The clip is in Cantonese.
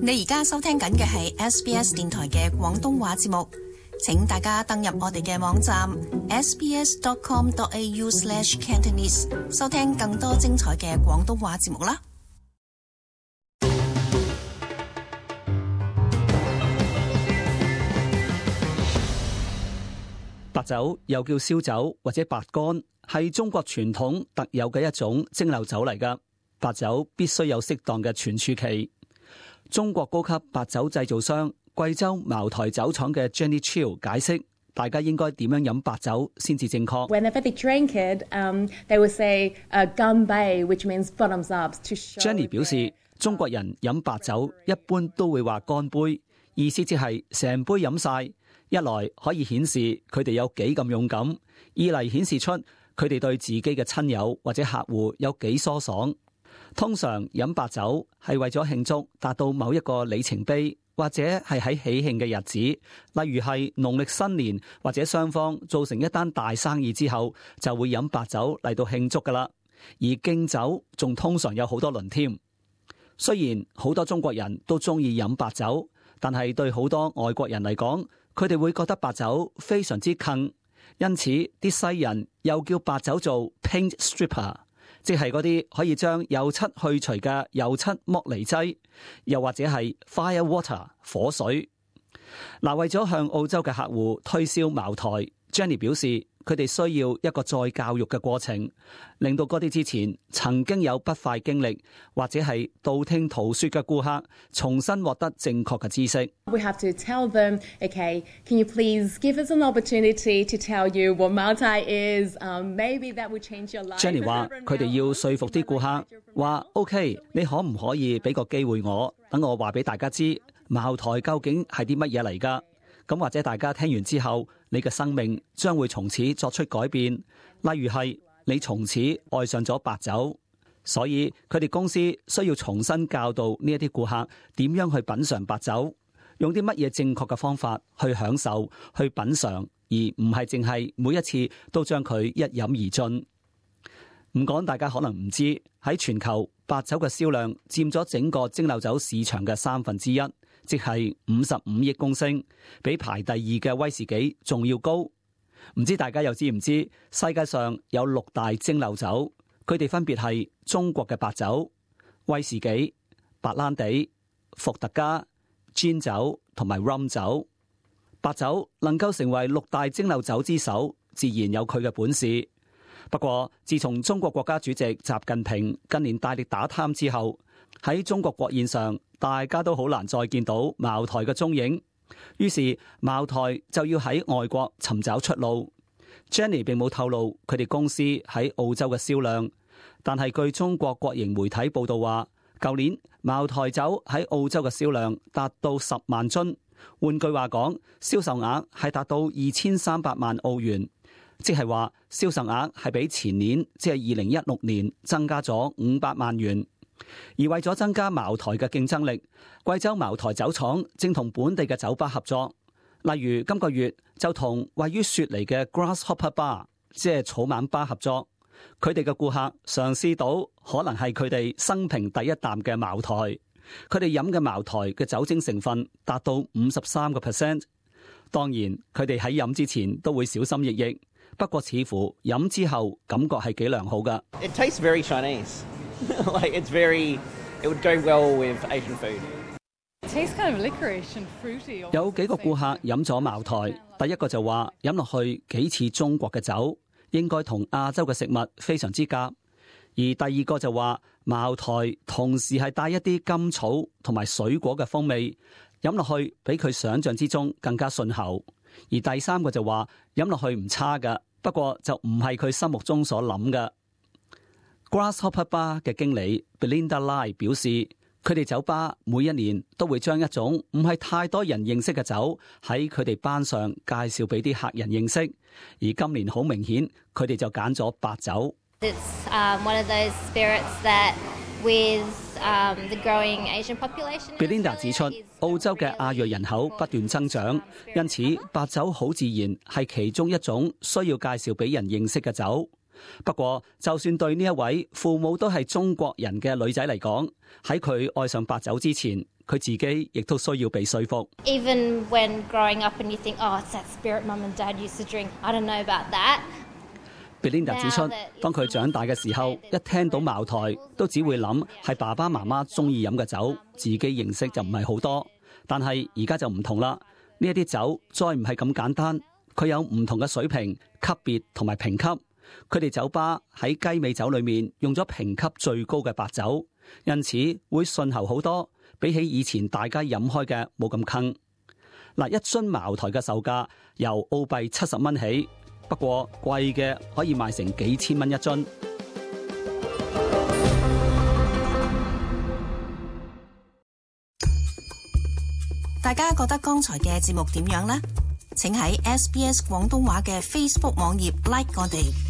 你而家收聽緊嘅係 SBS 電台嘅廣東話節目，請大家登入我哋嘅網站 sbs.com.au/cantonese 收聽更多精彩嘅廣東話節目啦。白酒又叫燒酒或者白乾，係中國傳統特有嘅一種蒸餾酒嚟㗎。白酒必須有適當嘅存儲期。中國高級白酒製造商貴州茅台酒廠嘅 Jenny Chiu 解釋，大家應該點樣飲白酒先至正確。Whenever they drink it, they will say "gan bei", which means bottoms up to show. Jenny 表示，中國人飲白酒一般都會話乾杯，意思即係成杯飲晒。一來可以顯示佢哋有幾咁勇敢，二嚟顯示出佢哋對自己嘅親友或者客戶有幾疏爽。通常飲白酒係為咗慶祝達到某一個里程碑，或者係喺喜慶嘅日子，例如係農曆新年，或者雙方做成一單大生意之後，就會飲白酒嚟到慶祝㗎喇。而敬酒仲通常有好多輪添。雖然好多中國人都中意飲白酒，但係對好多外國人嚟講，佢哋會覺得白酒非常之坑，因此啲西人又叫白酒做 paint stripper， 即係嗰啲可以將油漆去除嘅油漆剝離劑，又或者係 fire water 火水。嗱，為咗向澳洲嘅客戶推銷茅台， Jenny 表示佢哋需要一個再教育嘅過程，令到嗰啲之前曾經有不快經歷或者係道聽途說嘅顧客重新獲得正確嘅知識。We have to tell them, okay, can you please give us an opportunity to tell you what Maltai is? Maybe that will change your life. Jenny 話佢哋要說服啲顧客，話 OK， 你可唔可以俾個機會我，等我話俾大家知茅台究竟係啲乜嘢嚟㗎？咁或者大家聽完之後，你嘅生命將會從此作出改變，例如係你從此愛上咗白酒。所以佢哋公司需要重新教導呢一啲顧客點樣去品嘗白酒，用啲乜嘢正確嘅方法去享受、去品嘗，而唔係淨係每一次都將佢一飲而盡。唔講大家可能唔知，喺全球白酒嘅銷量佔咗整個蒸餾酒市場嘅1/3，即係55億公升，比排第二嘅威士忌仲要高。唔知大家又知唔知世界上有6大蒸餾酒，佢哋分別係中國嘅白酒、威士忌、白蘭地、伏特加、氈酒同埋 rum 酒。白酒能夠成為6大蒸餾酒之首，自然有佢嘅本事。不過自從中國國家主席習近平近年大力打貪之後，喺中國國宴上，大家都好難再見到茅台嘅蹤影，於是茅台就要喺外國尋找出路。Jenny 並冇透露佢哋公司喺澳洲嘅銷量，但係據中國國營媒體報道話，舊年茅台酒喺澳洲嘅銷量達到10萬樽，換句話講，銷售額係達到2300萬澳元，即係話銷售額係比前年即係2016年增加咗500萬元。而為咗增加茅台嘅競爭力，貴州茅台酒廠正同本地嘅酒吧合作，例如今個月就同位於雪梨嘅 Grasshopper Bar， 即係草蜢吧合作。佢哋嘅顧客嘗試到可能係佢哋生平第一啖嘅茅台，佢哋飲嘅茅台嘅酒精成分達到53%。當然佢哋喺飲之前都會小心翼翼，不過似乎飲之後感覺係幾良好㗎。It tastes very Chinese. Like it would go well with Asian food. It tastes kind of licorice and fruity. 有幾個顧客飲咗茅台，第一個就話飲落去幾似中國嘅酒，應該同亞洲嘅食物非常之夾。而第二個就話茅台同時係帶一啲甘草同埋水果嘅風味，飲落去比佢想象之中更加順喉。而第三個就話飲落去唔差㗎，不過就唔係佢心目中所諗嘅。Grasshopper Bar 嘅經理 Belinda Lai 表示，佢哋酒吧每一年都會將一種唔係太多人認識嘅酒喺佢哋班上介紹俾啲客人認識，而今年好明顯，佢哋就揀咗白酒。It's one of those spirits that with the growing Asian population. Belinda 指出，澳洲嘅亞裔人口不斷增長，因此白酒好自然係其中一種需要介紹俾人認識嘅酒。不過，就算對呢一位父母都係中國人嘅女仔嚟講，喺佢愛上白酒之前，佢自己亦都需要被說服。Even when growing up and you think, oh, it's that spirit mum and dad used to drink, I don't know about that. Belinda 指出，當佢長大嘅時候，一聽到茅台，都只會諗係爸爸媽媽中意飲嘅酒，自己認識就唔係好多。但係而家就唔同啦，呢一啲酒再唔係咁簡單，佢有唔同嘅水平、級別同埋評級。佢哋酒吧喺雞尾酒裏面用咗評級最高嘅白酒，因此會順喉好多，比起以前大家飲開嘅冇咁坑。嗱，一樽茅台嘅售價由澳幣70蚊起。不過貴嘅可以賣成幾千蚊一樽。大家覺得剛才嘅節目點樣呢？請喺SBS 廣東話嘅 Facebook 網頁 like 我哋。